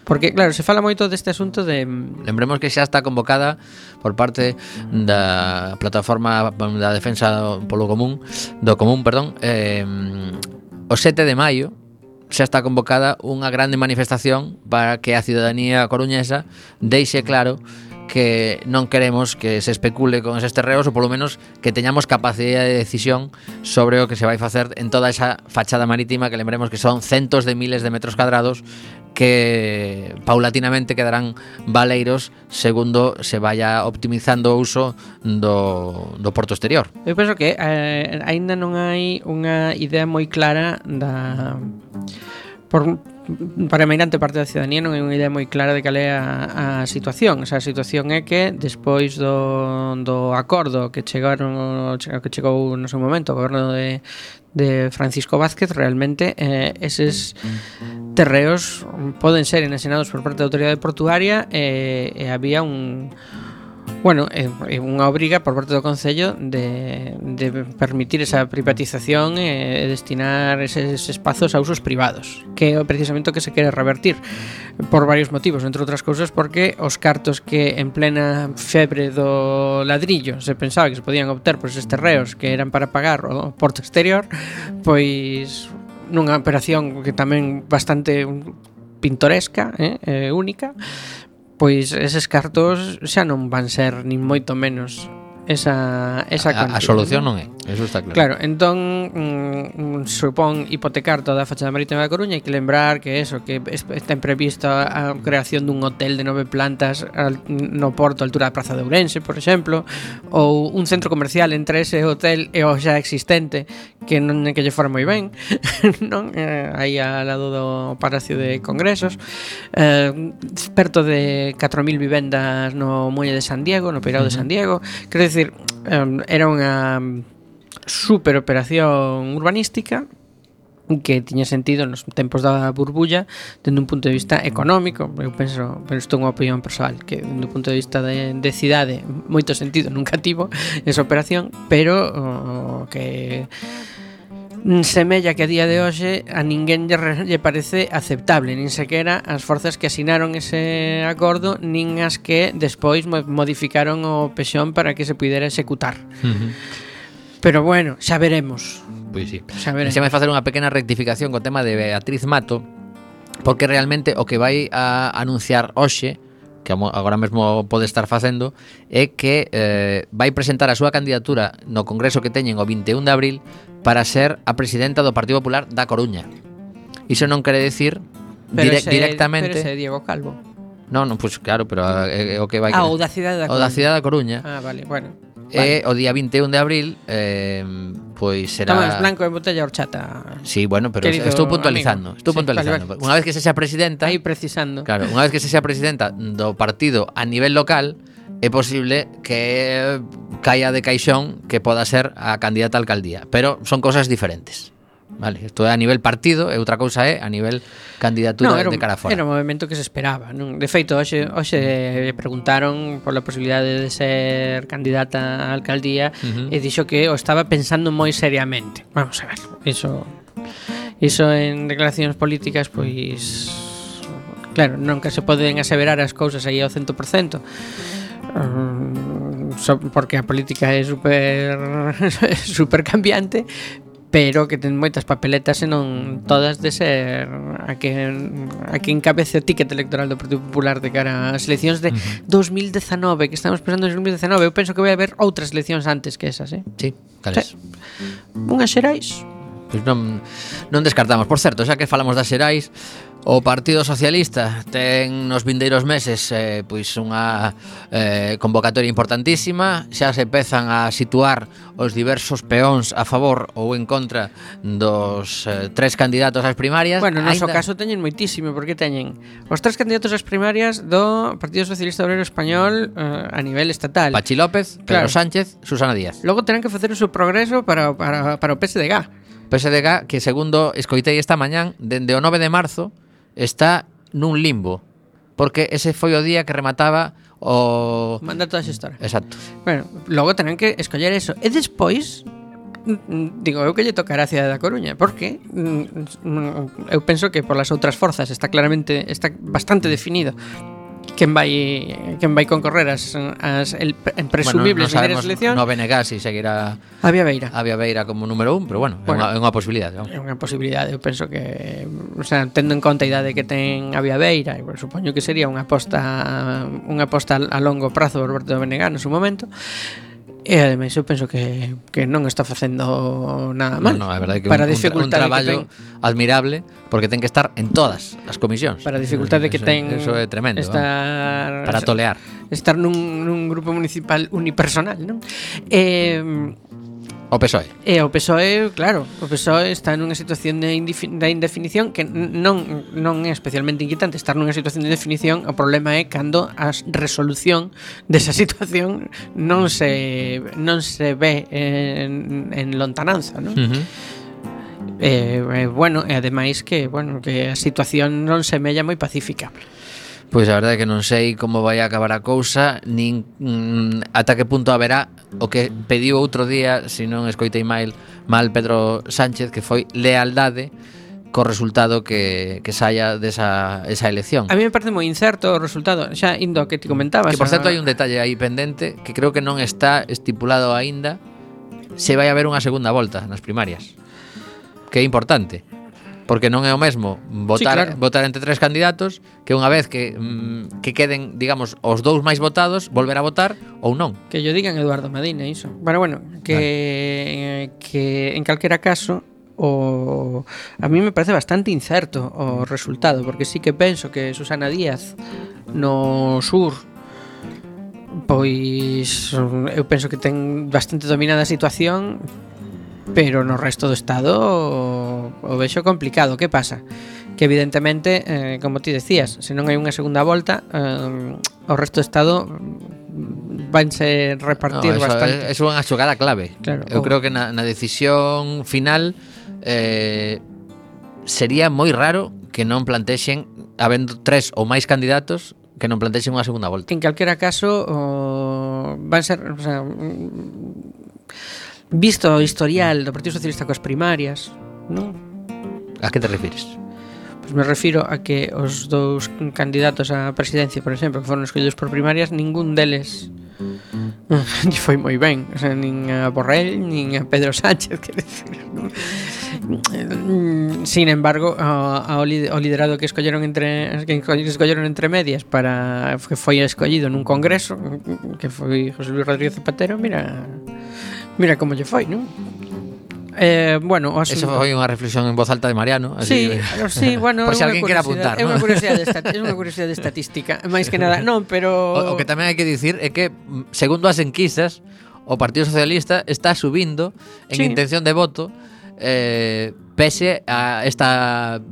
Porque, claro, se fala moito deste asunto de... Lembremos que xa está convocada por parte da plataforma da defensa do común, o 7 de maio xa está convocada unha grande manifestación para que a ciudadanía coruñesa deixe claro que non queremos que se especule con eses terreos, ou polo menos que teñamos capacidade de decisión sobre o que se vai facer en toda esa fachada marítima, que lembremos que son centos de miles de metros cuadrados que paulatinamente quedarán baleiros segundo se vaya optimizando o uso do porto exterior. Eu penso que aínda non hai unha idea moi clara para a meirante parte da ciudadanía non hai unha idea moi clara de cal é a situación. O sea, a situación é que despois do acordo que chegou no seu momento o goberno de Francisco Vázquez, realmente eses terreos poden ser enaxenados por parte da autoridade portuaria e había unha obriga por parte do Concello de permitir esa privatización e destinar eses espazos a usos privados, que é precisamente o que se quere revertir por varios motivos, entre outras cousas porque os cartos que en plena febre do ladrillo se pensaba que se podían obter por eses terreos que eran para pagar o porto exterior, pois nunha operación que tamén bastante pintoresca, única, pois eses cartos xa non van ser nin moito menos esa a solución non é, eso está claro. Claro, entón supón hipotecar toda a fachada marítima da Coruña. Hai que lembrar que está prevista a creación dun hotel de 9 plantas no porto a altura da Praza de Ourense, por exemplo, ou un centro comercial entre ese hotel e o xa existente que non é que lle fora moi ben non aí ao lado do Palacio de Congresos, perto de 4.000 vivendas no Muelle de San Diego, no Peirao de San Diego. Quero dicir, era unha super operación urbanística que tiña sentido nos tempos da burbulla dende un punto de vista económico. Eu penso, pero isto é unha opinión persoal, que dende un punto de vista de cidade moito sentido nunca tivo esa operación, pero que semella que a día de hoxe a ninguén lle parece aceptable, nin sequera as forzas que asinaron ese acordo, nin as que despois modificaron o pexón para que se pudera executar. Pero bueno, xa veremos. Pois sí. Xa veremos. Deixame facer unha pequena rectificación co tema de Beatriz Mato, porque realmente o que vai a anunciar hoxe, que agora mesmo pode estar facendo, é que vai presentar a súa candidatura no congreso que teñen o 21 de abril para ser a presidenta do Partido Popular da Coruña. Iso non quere decir directamente... Pero ese Diego Calvo. Non, pues claro, pero o que vai... O da cidade da Coruña. O da cidade da Coruña. Vale, bueno. E o día 21 de abril pois será... Tomás Blanco e botella horchata. Sí, bueno, pero Querido estou puntualizando. amigo. Estou puntualizando. Vale. Unha vez que se xa presidenta... Aí precisando. Claro, unha vez que se xa presidenta do partido a nivel local, é posible que caia de caixón que poda ser a candidata a alcaldía, pero son cosas diferentes. Vale, isto é a nivel partido e outra cousa é a nivel candidatura de cara fora. Era un movimento que se esperaba, non? De feito, hoxe preguntaron pola posibilidade de ser candidata á alcaldía e dixo que o estaba pensando moi seriamente. Vamos a ver, iso en declaracións políticas, pois claro, nunca se poden aseverar as cousas aí ao 100%. Porque a política é super cambiante, pero que ten moitas papeletas e non todas de ser a que encabece o ticket electoral do Partido Popular de cara ás eleccións de 2019, que estamos pensando en 2019. Eu penso que vai haber outras eleccións antes que esas, Sí, cales? Unhas xerais. Pois non descartamos. Por certo, xa que falamos das xerais, o Partido Socialista ten nos vindeiros meses pois unha convocatoria importantísima. Xa se pezan a situar os diversos peóns a favor ou en contra dos tres candidatos ás primarias. Bueno, no noso caso teñen moitísimo, porque teñen os tres candidatos ás primarias do Partido Socialista Obrero Español a nivel estatal. Pachi López, Pedro Sánchez, Susana Díaz. Logo terán que facer o seu progreso para o PSDG. PSDG, que segundo escoitei esta mañán, dende o 9 de marzo está nun limbo, porque ese foi o día que remataba o mandato da xestora. Exacto. Bueno, logo terán que escoller eso. E despois, digo eu que lle tocará a cidade da Coruña, porque eu penso que polas outras forzas está bastante definido quen vai concorrer as presumibles primeiras eleccións. No BNG si seguirá a Vía Beira como número 1, pero bueno, é unha posibilidade, non? É unha posibilidade, eu penso que, o sea, tendo en conta a idade que ten a Vía Beira, eu supoño que sería unha aposta a longo prazo por parte do BNG no seu momento. E ademais eu penso que non está facendo nada mal. No, é verdade que para un traballo admirable, porque ten que estar en todas as comisións. Para a dificultade que ten. Eso é tremendo. Para tolear. Estar nun grupo municipal unipersonal, non? O PSOE. E o PSOE, claro, o PSOE está nunha situación de indefinición que non é especialmente inquietante. Estar nunha situación de indefinición, o problema é cando a resolución desa situación non se ve en lontananza, non? Bueno, e ademais que a situación non semella moi pacífica. Pois a verdade é que non sei como vai a acabar a cousa, nin ata que punto haberá o que pediu outro día, se non escoitei mal Pedro Sánchez, que foi lealdade co resultado que saia desa elección. A mí me parece moi incerto o resultado, xa indo que ti comentabas. Que por certo hai un detalle aí pendente que creo que non está estipulado aínda se vai haber unha segunda volta nas primarias, que é importante. Porque non é o mesmo votar entre tres candidatos que unha vez que queden, digamos, os dous máis votados, volver a votar ou non. Que yo digan Eduardo Medina iso. Bueno, que en calquera caso a mí me parece bastante incerto o resultado, porque sí que penso que Susana Díaz no sur pois eu penso que ten bastante dominada a situación, pero no resto do estado o vexo complicado. Que pasa? Que evidentemente, como ti decías, se non hai unha segunda volta, o resto do estado vanse repartir bastante. É unha xogada clave. Claro, eu creo que na decisión final sería moi raro que non plantexen, habendo 3 ou máis candidatos, que non plantexen unha segunda volta. En calquera caso, van ser, o sea, visto o historial do Partido Socialista coas primarias, non? A que te refires? Pois me refiro a que os dous candidatos á presidencia, por exemplo, que foron escollidos por primarias, ningún deles foi moi ben, o sea, nin a Borrell nin a Pedro Sánchez, quer decir, non? Sin embargo, ao liderado que escolleron entre medias para que foi escollido nun congreso, que foi José Luis Rodríguez Zapatero, mira como lle foi, non? Bueno, eso foi unha reflexión en voz alta de Mariano, así, sí, bueno, por se alguén quere apuntar, é unha curiosidade estatística, máis que nada, non, pero o que tamén hai que dicir é que segundo as enquisas, o Partido Socialista está subindo en intención de voto, pese a esta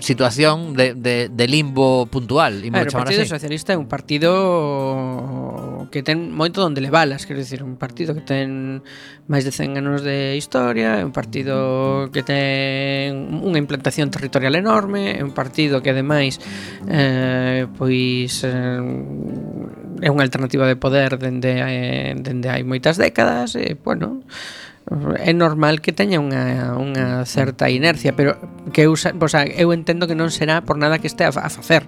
situación de limbo puntual. O Partido Socialista é un partido que ten moito donde levalas, quero dicir, un partido que ten máis de 100 anos de historia, é un partido que ten unha implantación territorial enorme, é un partido que ademais é unha alternativa de poder dende hai moitas décadas, e bueno, é normal que teña unha certa inercia, pero que eu entendo que non será por nada que este a facer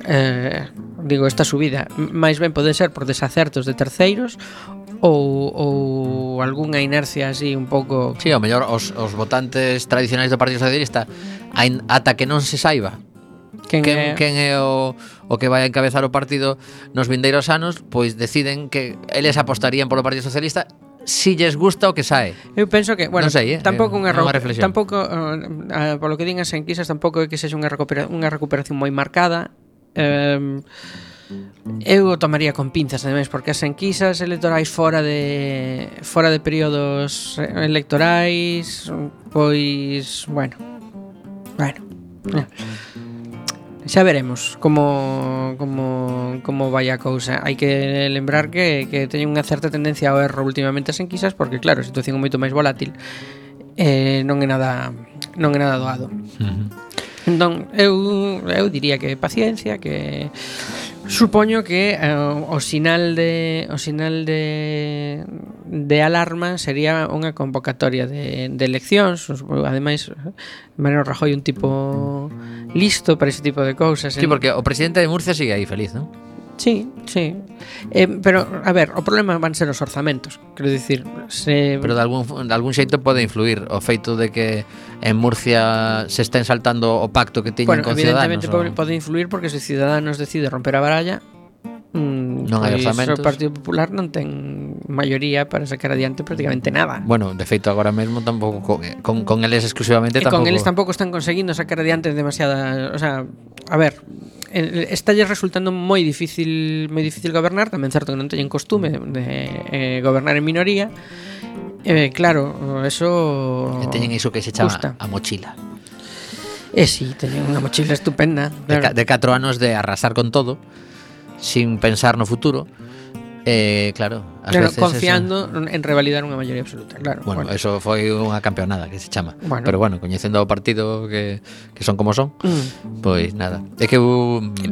esta subida, máis ben pode ser por desacertos de terceiros ou algunha inercia así un pouco. Sí, ao mellor os votantes tradicionais do Partido Socialista ata que non se saiba quen é o que vai a encabezar o partido nos vindeiros anos, pois deciden que eles apostarían polo Partido Socialista si lles gusta o que sae. Eu penso que, bueno, non sei, tampouco unha reflexión. Tampouco polo que din as enquisas, tampouco é que sexa unha recuperación moi marcada. Eu o tomaría con pinzas, ademais, porque as enquisas electorais fora de períodos electorais, pois, bueno. Xa veremos como vai a cousa. Hai que lembrar que teñen unha certa tendencia ao erro últimamente as enquisas, porque claro, a situación é moito máis volátil, non é nada doado. Entón, eu diría que paciencia, que supoño que o sinal de alarma sería unha convocatoria de eleccións. Ademais, Mariano Rajoy é un tipo listo para ese tipo de cousas. Sí, porque o presidente de Murcia sigue aí feliz, non? Sí. Pero, a ver, o problema van ser os orzamentos. Quero dicir, pero de algún xeito pode influir o feito de que en Murcia se estén saltando o pacto que tiñen con Ciudadanos. Evidentemente pode influir, porque se Ciudadanos decide romper a baralla, non hai orzamentos. O Partido Popular non ten maioría para sacar adiante prácticamente nada. Bueno, de feito agora mesmo tampouco con eles exclusivamente tampouco. Con eles tampouco están conseguindo sacar adiante demasiada, o sea, a ver, está resultando moi difícil gobernar, tamén certo que non teñen costume de gobernar en minoría. Claro, eso teñen iso que se chama a mochila. Sí, teñen unha mochila estupenda, claro. De 4 anos de arrasar con todo, sin pensar no futuro. Claro, veces confiando en revalidar unha maioría absoluta, claro. Bueno, eso foi unha campeonada que se chama. Pero bueno, coñecendo o partido que son como son, pois nada. É que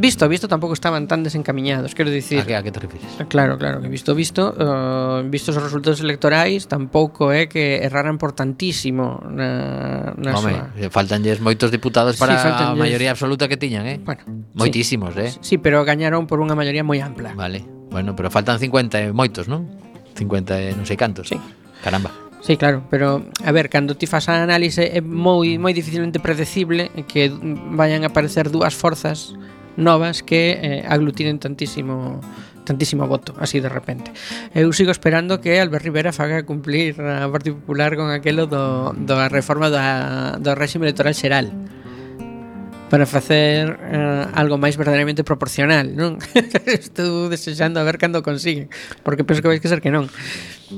visto tampouco estaban tan desencamiñados, quero dicir. A que te refires? Claro, que vistos os resultados electorais, tampouco é que erraran por tantísimo na faltanlles moitos diputados para a maioría absoluta que tiñan, Bueno, moitísimos, Sí, pero gañaron por unha maioría moi ampla. Vale. Bueno, pero faltan 50 e moitos, non? 50 e non sei cantos. Sí. Caramba. Sí, claro, pero a ver, cando ti fas a análise é moi dificilmente predecible que vayan a aparecer dúas forzas novas que aglutinen tantísimo voto, así de repente. Eu sigo esperando que Albert Rivera faga cumplir a Partido Popular con aquelo da reforma do réxime electoral xeral, para facer algo máis verdadeiramente proporcional, non? Estou desexando a ver cando consiguen, porque penso que vais que ser que non.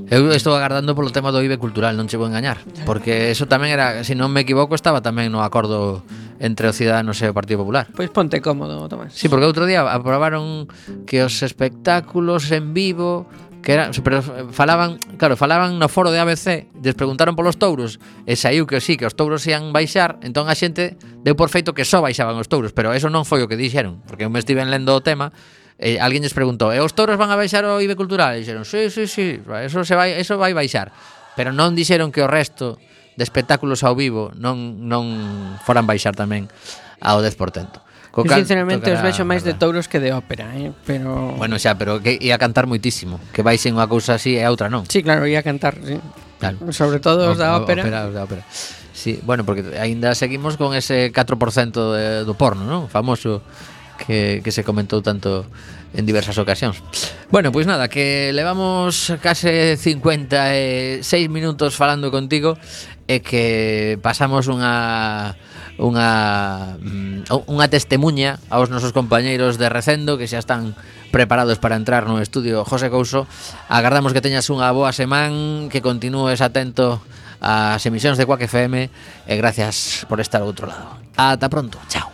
Eu estou agardando polo tema do IBE cultural, non che vou engañar, porque eso tamén era, se non me equivoco, estaba tamén no acordo entre os Ciudadanos e o Partido Popular. Pois ponte cómodo, Tomás. Sí, porque outro día aprobaron que os espectáculos en vivo que era, pero falaban no foro de ABC, les preguntaron polos touros e saiu que sí, que os touros ian baixar, entón a xente deu por feito que só baixaban os touros, pero eso non foi o que dixeron, porque eu me estiven lendo o tema e alguén lles preguntou, e os touros van a baixar o IBE Cultural? E dixeron, sí, eso vai baixar, pero non dixeron que o resto de espectáculos ao vivo non foran baixar tamén ao 10%. Eu sinceramente os vexo máis de touros que de ópera, pero... Bueno, xa, pero que ia cantar moitísimo. Que baixen unha cousa así e a outra non. Sí, claro, ia cantar, sí. Claro. Sobre todo os da ópera. Os da ópera. Sí, bueno, porque aínda seguimos con ese 4% do porno, non? Famoso que se comentou tanto en diversas ocasións. Bueno, pois nada, que levamos case 56 minutos falando contigo e que pasamos unha testemuña aos nosos compañeiros de Recendo que xa están preparados para entrar no estudio José Couso. Agardamos que teñas unha boa semana, que continúes atento ás emisións de Quack FM e gracias por estar ao outro lado. Ata pronto, chao.